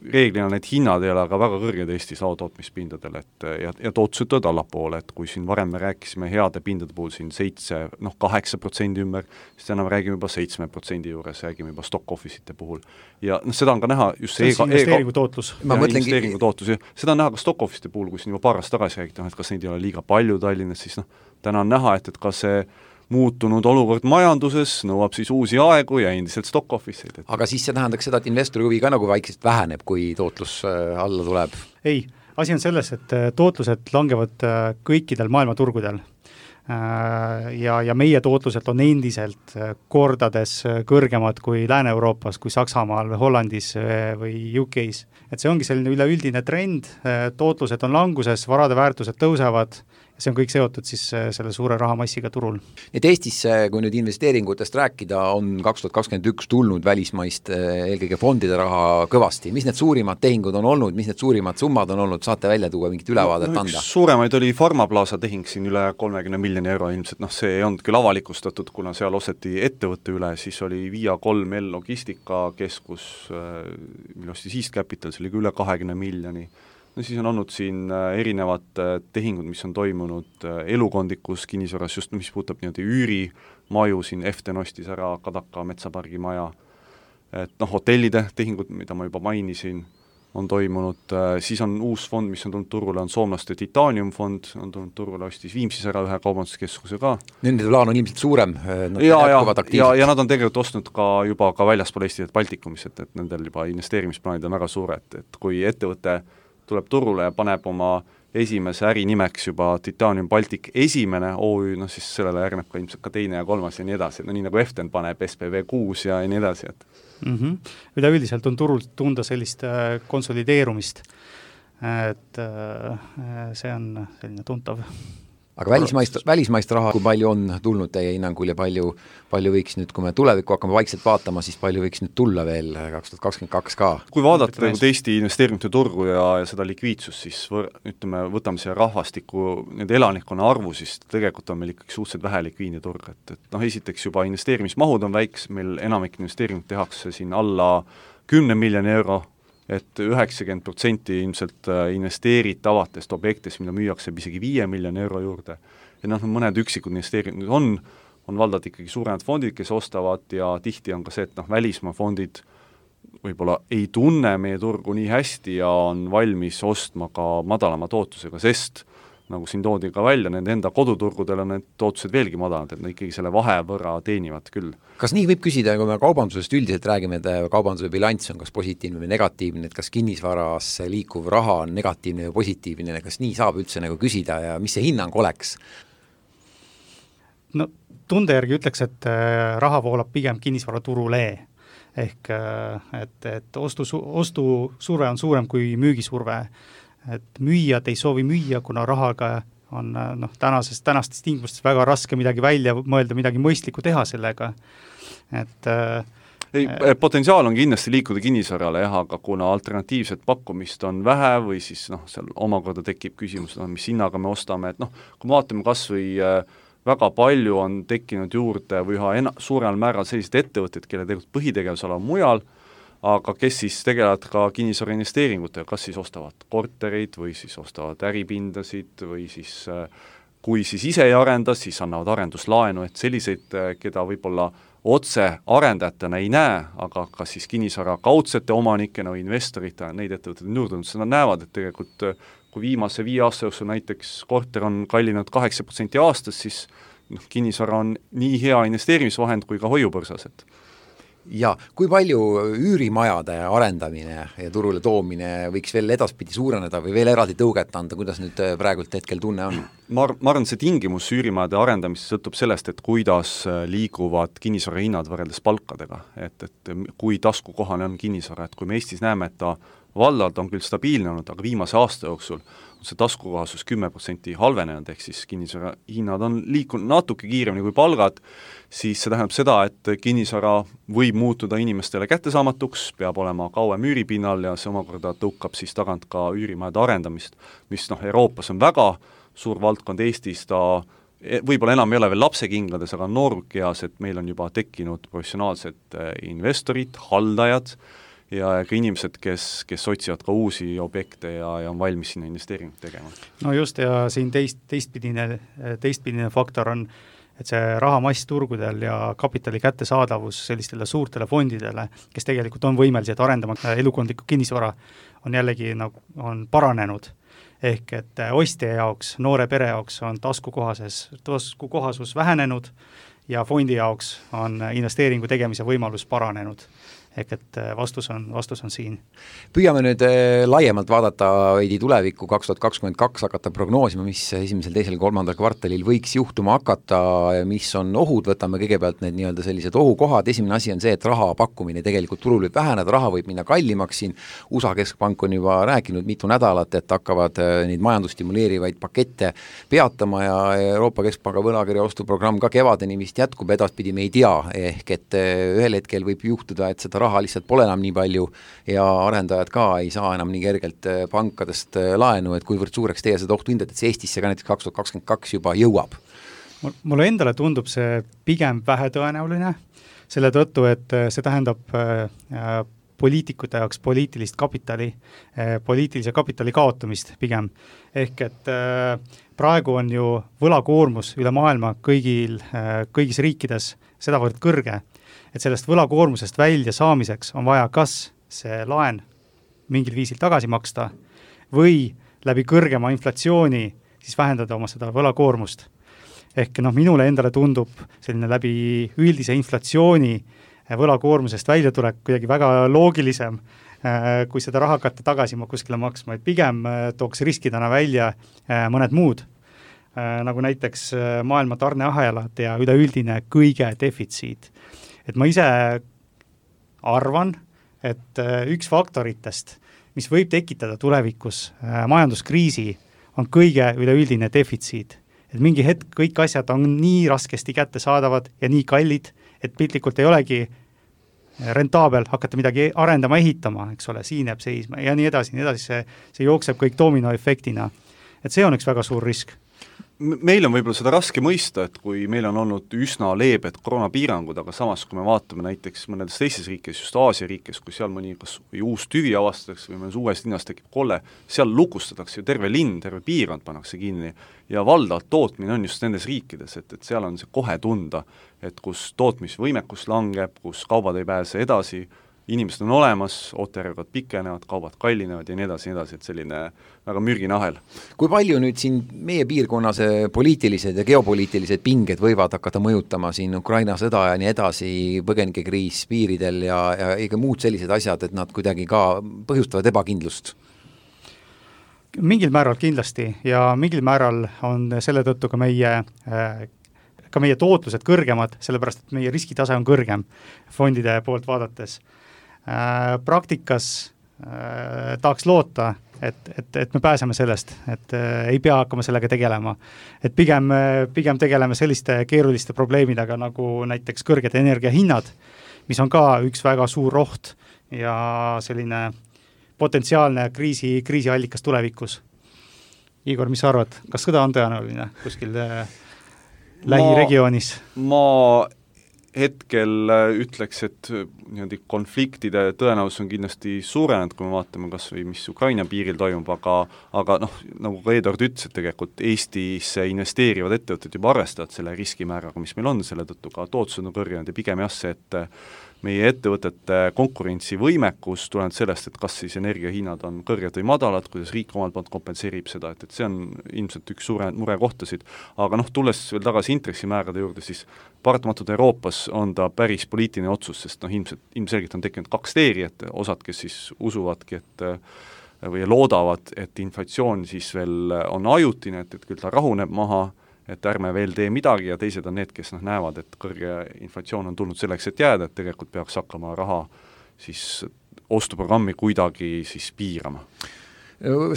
reeglina need hinnad ei ole aga väga kõrged Eestis laotootmispindadel, et ja, ja tootlused tulevad allapoole, et kui siin varem me rääkisime heade pindade puhul siin seitse, noh kaheksa protsendi ümber, siis täna me räägime juba seitsme protsendi juures, räägime juba stock office'ite puhul. Ja noh, seda on ka näha just see, see investeeringu tootlus. Ja investeeringu tootlus, ja seda on näha ka stock office'ite puhul, kui siin juba paar aastat tagasi räägiti, et kas neid ei ole liiga palju Tallinnas, siis noh, täna on näha, et, et ka see muutunud olukord majanduses nõuab siis uusi aegu ja endiselt stock office'id. Et... Aga siis see tähendaks seda, et investori huvi ka nagu vaikselt väheneb, kui tootlus alla tuleb? Ei, asi on selles, et tootlused langevad kõikidel maailmaturgudel ja, ja meie tootluselt on endiselt kordades kõrgemad kui Lääne-Euroopas, kui Saksamaal, Hollandis või U K-s. Et see ongi selline üleüldine trend, tootlused on languses, varade väärtused tõusevad, see on kõik seotud siis selle suure rahamassiga turul. Et Eestis, kui nüüd investeeringutest rääkida, on kaks tuhat kakskümmend üks tulnud välismaist eelkõige fondide raha kõvasti. Mis need suurimad tehingud on olnud, mis need suurimad summad on olnud, saate välja tuua mingit ülevaadet no, anda? Suuremaid oli Pharmaplaza tehing siin üle kolmekümne miljoni euro ilmselt, noh see ei olnud küll avalikustatud, kuna seal osteti ettevõtte üle, siis oli Via kolm L logistikakeskus, mille ostis East Capital, see oli üle kahekümne miljoni. No siis on olnud siin erinevad tehingud, mis on toimunud elukondikus kinnisvaras, just mis puudutab nii-öelda üürimaju, siin Eften ostis ära Kadaka metsapargi maja, et noh, hotellide tehingud, mida ma juba mainisin, on toimunud, siis on uus fond, mis on tulnud turule, on soomlaste Titanium fond, on tulnud turule, ostis Viimsis ära ühe kaubanduskeskuse ka. Nende plaan on ilmselt suurem, nad ja, ja, ja, ja nad on tegelikult ostnud ka juba ka väljaspool Eestit Baltikumis, et, et nendel juba investeerimisplaanid on väga suured, et kui ettevõte tuleb turule ja paneb oma esimese ärinimeks juba Titanium Baltic esimene O Ü, noh siis sellele järgneb ka ilmselt ka teine ja kolmas ja nii edasi, no nii nagu Eften paneb S P V kuus ja nii edasi, et mm-hmm. Üleüldiselt on turul tunda sellist äh, konsolideerumist, et äh, see on selline tuntav. Aga välismaist, välismaist raha, kui palju on tulnud teie hinnangul ja palju, palju võiks nüüd, kui me tulevikku hakkame vaikselt vaatama, siis palju võiks nüüd tulla veel kaks tuhat kakskümmend kaks ka? Kui vaadata nagu Eesti investeeringute turgu ja, ja seda likviidsust, siis võr, ütleme, võtame see rahvastiku, nende elanikkonna arvu, siis tegelikult on meil ikkagi suhteliselt vähe likviidne turg, et, et noh, esiteks juba investeerimismahud on väiks, meil enamik investeeringut tehakse siin alla kümne miljoni euro et üheksakümmend protsenti ilmselt investeeritavatest objektist, mida müüakse isegi viie miljoni euro juurde, ja noh, mõned üksikud investeeringud on, on valdavalt ikkagi suuremad fondid, kes ostavad ja tihti on ka see, et noh, välismaa fondid võib-olla ei tunne meie turgu nii hästi ja on valmis ostma ka madalama tootlusega, sest nagu siin toodi ka välja, nende enda koduturgudel on need tootlused veelgi madalad, et nad ikkagi selle vahe võrra teenivad küll. Kas nii võib küsida, kui me kaubandusest üldiselt räägime, et kaubanduse bilanss on kas positiivne või negatiivne, et kas kinnisvaras liikuv raha on negatiivne või positiivne, kas nii saab üldse nagu küsida ja mis see hinnang oleks? No tunde järgi ütleks, et raha voolab pigem kinnisvaraturule, ehk et, et ostu, ostu surve on suurem kui müügisurve, et müüjad ei soovi müüa, kuna rahaga on noh, tänases, tänastes tingimustes väga raske midagi välja mõelda, midagi mõistlikku teha sellega. Et, ei, äh, potentsiaal on kindlasti liikuda kinnisvarale, jah, aga kuna alternatiivset pakkumist on vähe või siis noh, seal omakorda tekib küsimus, no, mis hinnaga me ostame, et noh, kui vaatame kas või äh, väga palju on tekkinud juurde või üha ena, suurel määral sellised ettevõtted, kelle tegelikult põhitegevusala on mujal, aga kes siis tegelevad ka kinnisvara investeeringutega, kas siis ostavad kortereid või siis ostavad äripindasid või siis kui siis ise ei arenda, siis annavad arenduslaenu, et selliseid, keda võib-olla otse arendajatena ei näe, aga kas siis kinnisvara kaudsete omanikena või investorita, neid ettevõtted on juurde, nad näevad, et tegelikult kui viimase viie aasta jooksul näiteks korter on kallinud kaheksa protsenti aastas, siis noh, kinnisvara on nii hea investeerimisvahend kui ka hoiupõrsas, et ja kui palju üürimajade arendamine ja turule toomine võiks veel edaspidi suureneda või veel eraldi tõuget anda, kuidas nüüd praegult hetkel tunne on? Ma, ma arvan, see tingimus üürimajade arendamist sõltub sellest, et kuidas liiguvad kinnisvara hinnad võrreldes palkadega, et, et kui taskukohane on kinnisvara, et kui me Eestis näeme, et ta vallalt on küll stabiilne olnud, aga viimase aasta jooksul on see taskukohasus kümme protsenti halvenenud, ehk siis kinnisvara hinnad on liikunud natuke kiiremini kui palgad, siis see tähendab seda, et kinnisvara võib muutuda inimestele kättesaamatuks, peab olema kauem üüripinnal ja see omakorda tõukab siis tagant ka üürimajade arendamist, mis noh, Euroopas on väga suur valdkond, Eestis ta võib-olla enam ei ole veel lapsekingades, aga noorkeas, et meil on juba tekkinud professionaalsed investorid, haldajad ja ka inimesed, kes, kes otsivad ka uusi objekte ja, ja on valmis sinna investeeringut tegema. No just, ja siin teist, teistpidine, teistpidine faktor on, et see rahamass turgudel ja kapitali kättesaadavus sellistele suurtele fondidele, kes tegelikult on võimelised arendama elukondlikku kinnisvara, on jällegi nagu, on paranenud. Ehk et ostja jaoks, noore pere jaoks on taskukohases, taskukohasus vähenenud ja fondi jaoks on investeeringu tegemise võimalus paranenud. Ehk et vastus on, vastus on siin. Püüame nüüd laiemalt vaadata veidi tulevikku kaks tuhat kakskümmend kaks, hakata prognoosima, mis esimesel, teisel, kolmandal kvartalil võiks juhtuma hakata, mis on ohud, võtame kõigepealt need nii-öelda sellised ohukohad. Esimene asi on see, et raha pakkumine tegelikult turul võib väheneda, raha võib minna kallimaks siin. U S A keskpank on juba rääkinud mitu nädalat, et hakkavad neid majandusstimuleerivaid pakette peatama ja Euroopa Keskpanga võlakirja ostuprogramm ka kevadeni vist jätkub, edaspidi me ei tea, ehk et ühel hetkel võib juhtuda, et seda raha lihtsalt pole enam nii palju ja arendajad ka ei saa enam nii kergelt pankadest laenu, et kuivõrd suureks teie seda ohtu hindad, et see Eestisse ka näiteks kaks tuhat kakskümmend kaks juba jõuab? Mulle endale tundub see pigem vähetõenäoline, selle tõttu, et see tähendab poliitikute jaoks poliitilist kapitali, poliitilise kapitali kaotamist pigem. Ehk et praegu on ju võlakoormus üle maailma kõigil, kõigis riikides sedavõrd kõrge, et sellest võlakoormusest välja saamiseks on vaja kas see laen mingil viisil tagasi maksta või läbi kõrgema inflatsiooni siis vähendada oma seda võlakoormust. Ehk noh, minule endale tundub selline läbi üldise inflatsiooni võlakoormusest välja tulek kuidagi väga loogilisem, kui seda raha hakata tagasi kuskile maksma, et pigem tooks riskidena välja mõned muud, nagu näiteks maailma tarneahelad ja üleüldine kõige defitsiit. Et ma ise arvan, et üks faktoritest, mis võib tekitada tulevikus majanduskriisi, on kõige üleüldine defitsiit. Et mingi hetk kõik asjad on nii raskesti kättesaadavad ja nii kallid, et piltlikult ei olegi rentaabel hakata midagi arendama, ehitama, eks ole, siin jääb seisma ja nii edasi, nii edasi, see, see jookseb kõik dominoefektina. Et see on üks väga suur risk. meil on võib-olla seda raske mõista, et kui meil on olnud üsna leebed koroonapiirangud, aga samas, kui me vaatame näiteks mõnedes teistes riikides, just Aasia riikides, kui seal mõni kas või uus tüvi avastatakse või mõnes uues linnas tekib kolle, seal lukustatakse ju terve linn, terve piirkond pannakse kinni ja valdavalt tootmine on just nendes riikides, et, et seal on see kohe tunda, et kus tootmisvõimekus langeb, kus kaubad ei pääse edasi, inimesed on olemas, ootajärjekord pikenevad, kaubad kallinevad ja nii edasi, nii edasi, et selline väga mürgine ahel. Kui palju nüüd siin meie piirkonnas poliitilised ja geopoliitilised pinged võivad hakata mõjutama siin Ukraina sõda ja nii edasi, põgenikekriis piiridel ja, ja ega muud sellised asjad, et nad kuidagi ka põhjustavad ebakindlust? Mingil määral kindlasti ja mingil määral on selle tõttu ka meie ka meie tootlused kõrgemad, sellepärast et meie riskitase on kõrgem fondide poolt vaadates. Äh, praktikas äh, tahaks loota, et, et, et me pääseme sellest, et äh, ei pea hakkama sellega tegelema. Et pigem, pigem tegeleme selliste keeruliste probleemidega nagu näiteks kõrged energiahinnad, mis on ka üks väga suur oht ja selline potentsiaalne kriisi, kriisiallikas tulevikus. Igor, mis sa arvad, kas sõda on tõenäoline kuskil äh, lähiregioonis? Ma hetkel ütleks, et niimoodi konfliktide tõenäosus on kindlasti suurenenud, kui me vaatame kas või mis Ukraina piiril toimub, aga, aga noh, nagu ka Eduard ütles, et tegelikult Eestisse investeerivad ettevõtted juba arvestavad selle riskimääraga, mis meil on, selle tõttu ka tootlused on kõrgenenud ja pigem jah see, et meie ettevõtete konkurentsivõimekus tuleneb sellest, et kas siis energiahinnad on kõrged või madalad, kuidas riik omalt poolt kompenseerib seda, et, et see on ilmselt üks suure murekohtasid. Aga noh, tulles veel tagasi intressimäärade juurde, siis paratamatult Euroopas on ta päris poliitiline otsus, sest noh, ilmselt, ilmselgelt on tekkinud kaks teeri, et osad, kes siis usuvadki, et või loodavad, et inflatsioon siis veel on ajutine, et, et küll ta rahuneb maha, et ärme veel tee midagi ja teised on need, kes noh, näevad, et kõrge inflatsioon on tulnud selleks, et jääda, et tegelikult peaks hakkama raha siis ostuprogrammi kuidagi siis piirama.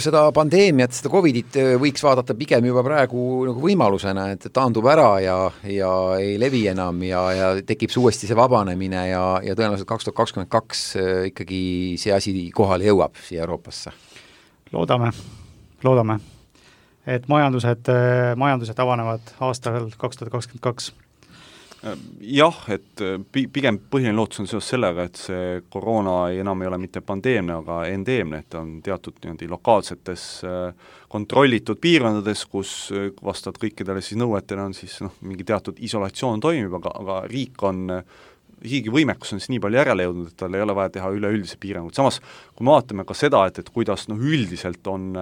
Seda pandeemiat, seda Covidit võiks vaadata pigem juba praegu nagu võimalusena, et taandub ära ja, ja ei levi enam ja, ja tekib uuesti see vabanemine ja, ja tõenäoliselt kaks tuhat kakskümmend kaks ikkagi see asi kohale jõuab siia Euroopasse. Loodame, loodame. Et majandused, majandused avanevad aastal kaks tuhat kakskümmend kaks. Jah, et pigem põhiline lootus on seos sellega, et see koroona enam ei ole mitte pandeemne, aga endeemne, et on teatud niimoodi lokaalsetes kontrollitud piirkondades, kus vastavalt kõikidele siis nõuetele on siis noh, mingi teatud isolatsioon toimib, aga, aga riik on riigi võimekus on siis nii palju järele jõudnud, et tal ei ole vaja teha üleüldise piirangut. Samas, kui me vaatame ka seda, et, et kuidas noh, üldiselt on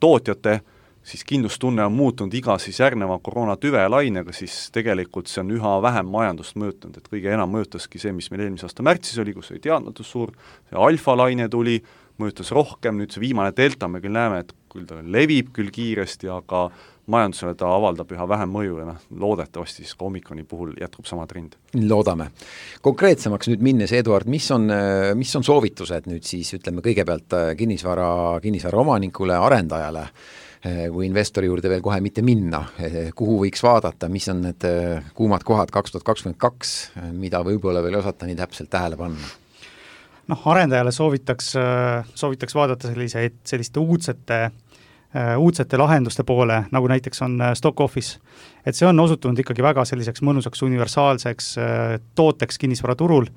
tootjate siis kindlustunne on muutunud iga siis järgneva koroonatüve lainega, siis tegelikult see on üha vähem majandust mõjutanud, et kõige enam mõjutaski see, mis meil eelmise aasta märtsis oli, kus oli teadmatus suur, see alfa-laine tuli, mõjutas rohkem, nüüd see viimane delta, me küll näeme, et küll ta levib küll kiiresti, aga majandusele ta avaldab üha vähem mõju ja noh, loodetavasti siis ka Omikroni puhul jätkub sama trend. Loodame. Konkreetsemaks nüüd minnes, Eduard, mis on, mis on soovitused nüüd siis, ütleme kõigepealt kinnisvara, kinnisvara omanikule, arendajale, kui investori juurde veel kohe mitte minna, kuhu võiks vaadata, mis on need kuumad kohad kaks tuhat kakskümmend kaks, mida võib-olla veel osata nii täpselt tähele panna? Noh, arendajale soovitaks, soovitaks vaadata selliseid, selliste uudsete, uudsete lahenduste poole, nagu näiteks on Stock Office. Et see on osutunud ikkagi väga selliseks mõnusaks universaalseks tooteks kinnisvaraturul.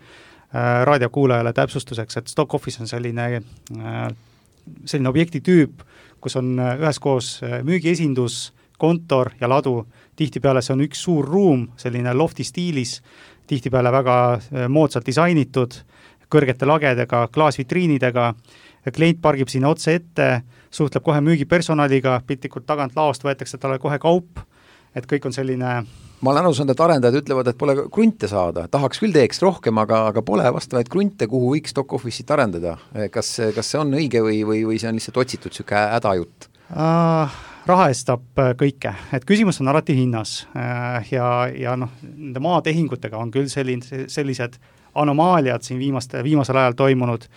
Raadiokuulajale täpsustuseks, et Stock Office on selline, selline objektitüüp, kus on üheskoos müügiesindus, kontor ja ladu. Tihtipeale see on üks suur ruum, selline lofti stiilis, tihtipeale väga moodsalt disainitud, kõrgete lagedega, klaasvitriinidega. Klient pargib sinna otse ette, suhtleb kohe müügipersonaliga, piltlikult tagant laost võetakse talle kohe kaup, et kõik on selline... Ma olen aru saanud, et arendajad ütlevad, et pole krunte saada. Tahaks küll teeks rohkem, aga, aga pole vastavaid krunte, kuhu võiks Stock Office'it arendada. Kas, kas see on õige või, või, või see on lihtsalt otsitud siuke hädajutt? Uh, raha eest saab kõike. Et küsimus on alati hinnas. Uh, ja, ja noh, nende maatehingutega on küll selline, sellised anomaaliad siin viimaste, viimasel ajal toimunud,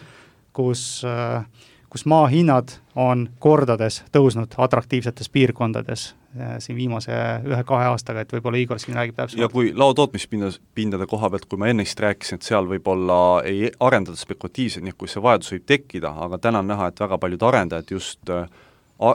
kus... Uh, kus maa hinnad on kordades tõusnud atraktiivsetes piirkondades siin viimase ühe-kahe aastaga, et võib-olla Igor siin räägib täpselt. Ja kui laotootmispindade koha pealt, kui ma ennist rääkisin, et seal võib-olla ei arendada spekulatiivselt, nii kui see vajadus võib tekkida, aga täna on näha, et väga paljud arendajad just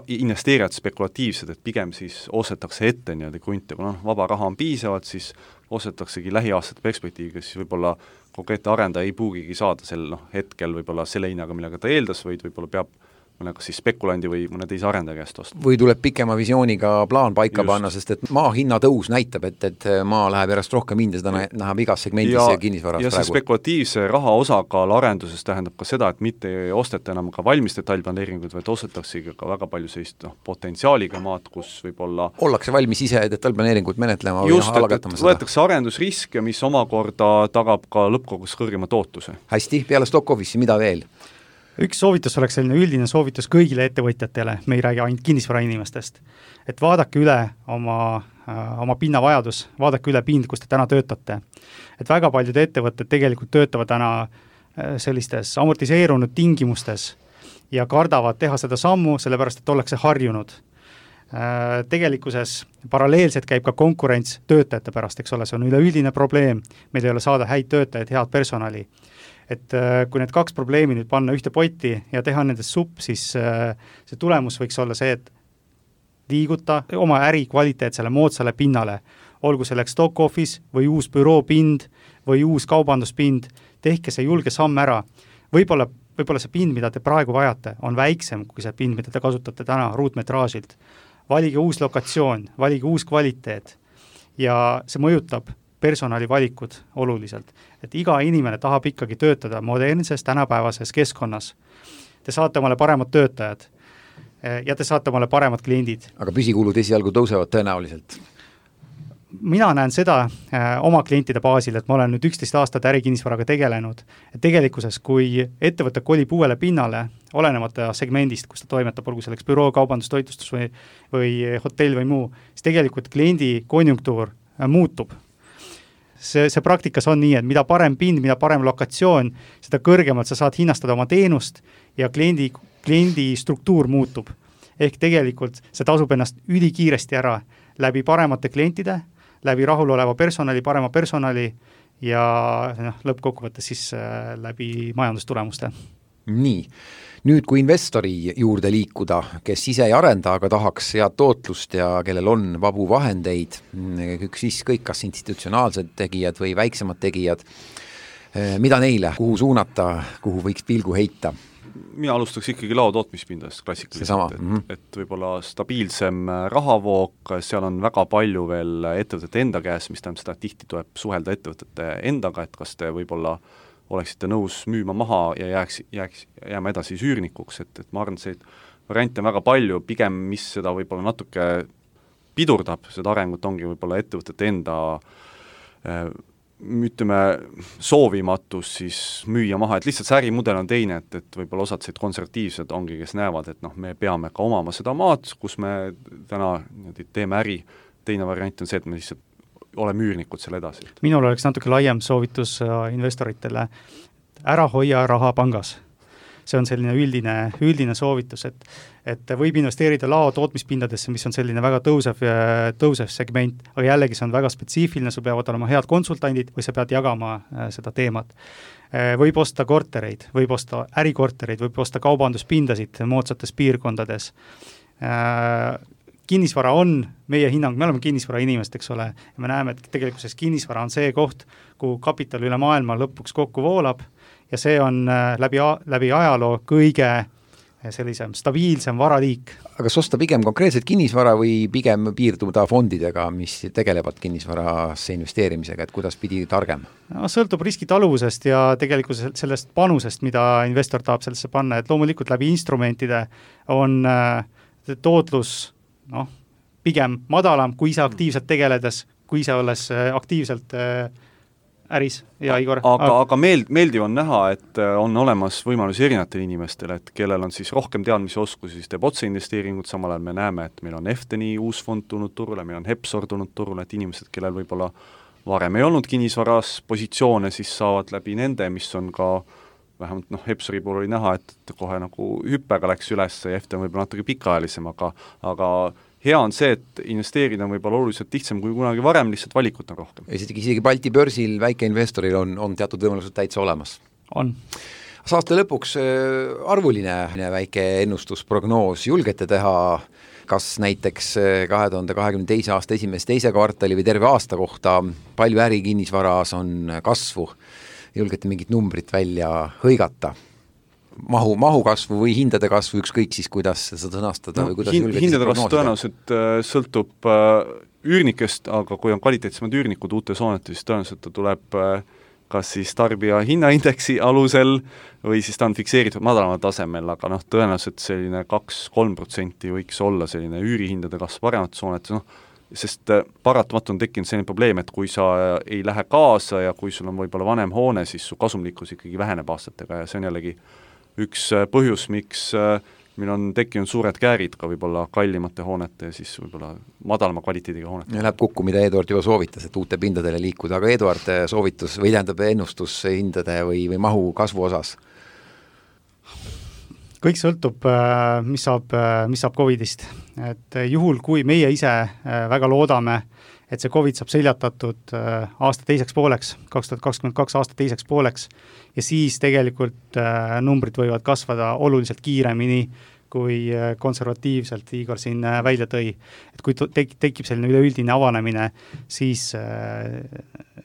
investeerijad spekulatiivsed, et pigem siis ostetakse ette nii-öelda krunte, kui noh, vaba raha on piisavalt, siis ostetaksegi lähiaastate perspektiiviga, siis võib-olla konkreetne arendaja ei pruugigi saada sel noh, hetkel võib-olla selle hinnaga, millega ta eeldas, vaid võib-olla peab mõne kas siis spekulandi või mõne teise arendaja käest osta. Või tuleb pikema visiooniga plaan paika Just. panna, sest et maa hinna tõus näitab, et, et maa läheb järjest rohkem hinda, seda näeb igas segmendis ja, ja kinnisvaras ja praegu. Ja see spekulatiivse raha osakaal arenduses tähendab ka seda, et mitte ei osteta enam ka valmis detailplaneeringuid, vaid ostetaksegi ka väga palju sellist noh, potentsiaaliga maad, kus võib-olla ollakse valmis ise detailplaneeringut menetlema just, või algatama seda. Võetakse arendusriske, mis omakorda tagab ka lõppkogus kõrgema tootluse. Hästi, peale Stock Office'i, mida veel? Üks soovitus oleks selline üldine soovitus kõigile ettevõtjatele, me ei räägi ainult kinnisvara inimestest, et vaadake üle oma, äh, oma pinnavajadus, vaadake üle pind, kus te täna töötate. Et väga paljud ettevõtted tegelikult töötavad täna äh, sellistes amortiseerunud tingimustes ja kardavad teha seda sammu, sellepärast et ollakse harjunud. Äh, tegelikkuses paralleelselt käib ka konkurents töötajate pärast, eks ole, see on üleüldine probleem, meil ei ole saada häid töötajaid, head personali. Et kui need kaks probleemi nüüd panna ühte potti ja teha nendest supp, siis see tulemus võiks olla see, et liiguta oma äri kvaliteetsele moodsale pinnale, olgu selleks Stock Office või uus büroopind või uus kaubanduspind, tehke see julge samm ära. Võib-olla, võib-olla see pind, mida te praegu vajate, on väiksem kui see pind, mida te kasutate täna ruutmetraažilt. Valige uus lokatsioon, valige uus kvaliteet ja see mõjutab personalivalikud oluliselt, et iga inimene tahab ikkagi töötada modernses, tänapäevases keskkonnas. Te saate omale paremad töötajad ja te saate omale paremad kliendid. Aga püsikulud esialgu tõusevad tõenäoliselt? Mina näen seda äh, oma klientide baasil, et ma olen nüüd üksteist aastat ärikinnisvaraga tegelenud, et tegelikkuses, kui ettevõte kolib uuele pinnale, olenemata segmendist, kus ta toimetab, olgu selleks büroo, kaubandus, toitlustus või, või hotell või muu, siis tegelikult kliendi konjunktuur äh, muutub. See, see praktikas on nii, et mida parem pind, mida parem lokatsioon, seda kõrgemalt sa saad hinnastada oma teenust ja kliendi, kliendi struktuur muutub. Ehk tegelikult see tasub ennast ülikiiresti ära läbi paremate klientide, läbi rahuloleva personali, parema personali ja noh, lõppkokkuvõttes siis äh, läbi majandustulemuste. Nii, nüüd kui investori juurde liikuda, kes ise ei arenda, aga tahaks head tootlust ja kellel on vabu vahendeid, siis kõik kas institutsionaalsed tegijad või väiksemad tegijad, mida neile, kuhu suunata, kuhu võiks pilgu heita? Mina alustaks ikkagi lao tootmispindast klassikaliselt, et, mm-hmm. et võib-olla stabiilsem rahavoog, seal on väga palju veel ettevõtete enda käes, mis tähendab seda, et tihti tuleb suhelda ettevõtete endaga, et kas te võib-olla oleksite nõus müüma maha ja jääks, jääks, jääma edasi süürnikuks, et, et ma arvan, et see variante on väga palju, pigem mis seda võib-olla natuke pidurdab, seda arengut ongi võib-olla ettevõtete enda äh, ütleme, soovimatus siis müüa maha, et lihtsalt see ärimudel on teine, et, et võib-olla osad sellised konservatiivsed ongi, kes näevad, et noh, me peame ka omama seda maad, kus me täna teeme äri, teine variant on see, et me lihtsalt ole müürnikud selle edasi. Minul oleks natuke laiem soovitus investoritele, ära hoia raha pangas. See on selline üldine, üldine soovitus, et, et võib investeerida lao tootmispindadesse, mis on selline väga tõusev, tõusev segment, aga jällegi see on väga spetsiifiline, sul peavad olema head konsultandid või sa pead jagama seda teemat. Võib osta kortereid, võib osta ärikortereid, võib osta kaubanduspindasid moodsates piirkondades. Kinnisvara on meie hinnang, me oleme kinnisvara inimest, eks ole, ja me näeme, et tegelikkuses kinnisvara on see koht, kuhu kapital üle maailma lõpuks kokku voolab ja see on läbi, läbi ajaloo kõige sellisem stabiilsem varaliik. Aga kas osta pigem konkreetselt kinnisvara või pigem piirduda fondidega, mis tegelevad kinnisvarasse investeerimisega, et kuidas pidi targem? No, sõltub riskitaluvusest ja tegelikult sellest panusest, mida investor tahab sellesse panna, et loomulikult läbi instrumentide on tootlus noh, pigem madalam, kui ise aktiivselt tegeledes, kui ise olles aktiivselt äris ja Igor. Aga, aga meeld, meeldiv on näha, et on olemas võimalus erinevatel inimestel, et kellel on siis rohkem teadmisi oskusi, siis teeb otseinvesteeringut, samal ajal me näeme, et meil on Efteni uus fond tulnud turule, meil on Hepsor tulnud turule, et inimesed, kellel võib-olla varem ei olnud kinnisvaras positsioone, siis saavad läbi nende, mis on ka vähemalt noh, Hepsori puhul oli näha, et kohe nagu hüppega läks üles ja Eften võib-olla natuke pikaajalisem, aga, aga hea on see, et investeerida on võib-olla oluliselt lihtsam kui kunagi varem, lihtsalt valikut on rohkem. Isegi, isegi Balti börsil väikeinvestoril on, on teatud võimalused täitsa olemas. On. Saate lõpuks arvuline väike ennustusprognoos julgete teha, kas näiteks kahe tuhande kahekümne teise aasta esimese teise kvartali või terve aasta kohta palju äri kinnisvaras on kasvu, julgete mingit numbrit välja hõigata? Mahu, mahu kasvu või hindade kasvu, ükskõik siis, kuidas seda sõnastada no, või kuidas hin, hindade kasvu tõenäoliselt sõltub üürnikest, aga kui on kvaliteetsemad üürnikud uutes hoonetes, siis tõenäoliselt ta tuleb kas siis tarbija hinnaindeksi alusel või siis ta on fikseeritud madalamal tasemel, aga noh, tõenäoliselt selline kaks-kolm protsenti võiks olla selline üürihindade kasv paremates hoonetes, noh, sest paratamatult on tekkinud selline probleem, et kui sa ei lähe kaasa ja kui sul on võib-olla vanem hoone, siis su kasumlikkus ikkagi väheneb aastatega ja see on jällegi üks põhjus, miks meil on tekkinud suured käärid ka võib-olla kallimate hoonete ja siis võib-olla madalama kvaliteediga hoonete. Ja läheb kokku, mida Eduard juba soovitas, et uute pindadele liikuda, aga Eduard soovitus või tähendab ennustus hindade või, või mahu kasvu osas? Kõik sõltub, mis saab, mis saab Covidist. Et juhul, kui meie ise väga loodame, et see Covid saab seljatatud aasta teiseks pooleks, kaks tuhat kakskümmend kaks aasta teiseks pooleks, ja siis tegelikult numbrid võivad kasvada oluliselt kiiremini, kui konservatiivselt Igor siin välja tõi. Et kui tek- tekib selline üleüldine avanemine, siis,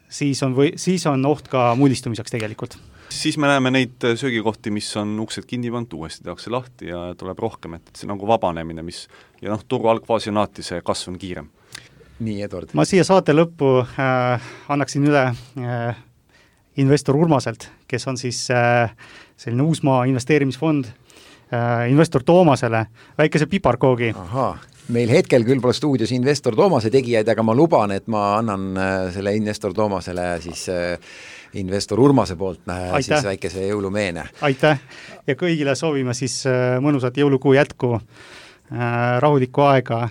siis, on või, siis on oht ka mullistumiseks tegelikult. Siis me näeme neid söögikohti, mis on uksed kinni pandud, uuesti tehakse lahti ja tuleb rohkem, et see nagu vabanemine, mis ja noh, turu algfaasi on alati see kasv on kiirem. Nii, Eduard. Ma siia saate lõppu äh, annaksin üle äh, investor Urmaselt, kes on siis äh, selline Uusmaa investeerimisfond äh, investor Toomasele, väikese piparkoogi. Ahaa, meil hetkel küll pole stuudios investor Toomase tegijaid, aga ma luban, et ma annan äh, selle investor Toomasele siis äh, investor Urmase poolt äh, siis väikese jõulumeene. Aitäh ja kõigile soovime siis äh, mõnusat jõulukuu jätku, äh, rahulikku aega.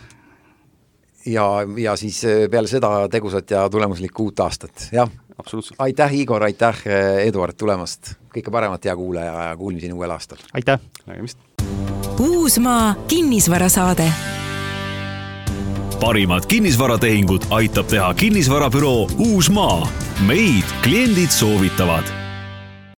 Ja, ja siis peale seda tegusat ja tulemuslikku uut aastat, jah. Absoluutselt. Aitäh, Igor, aitäh, Eduard tulemast. Kõike paremat ja kuulaja ja kuulmiseni uuel aastal. Aitäh. Nägemist. Uusmaa kinnisvarasaade. Parimad kinnisvaratehingud aitab teha kinnisvarabüroo Uusmaa. Meid kliendid soovitavad.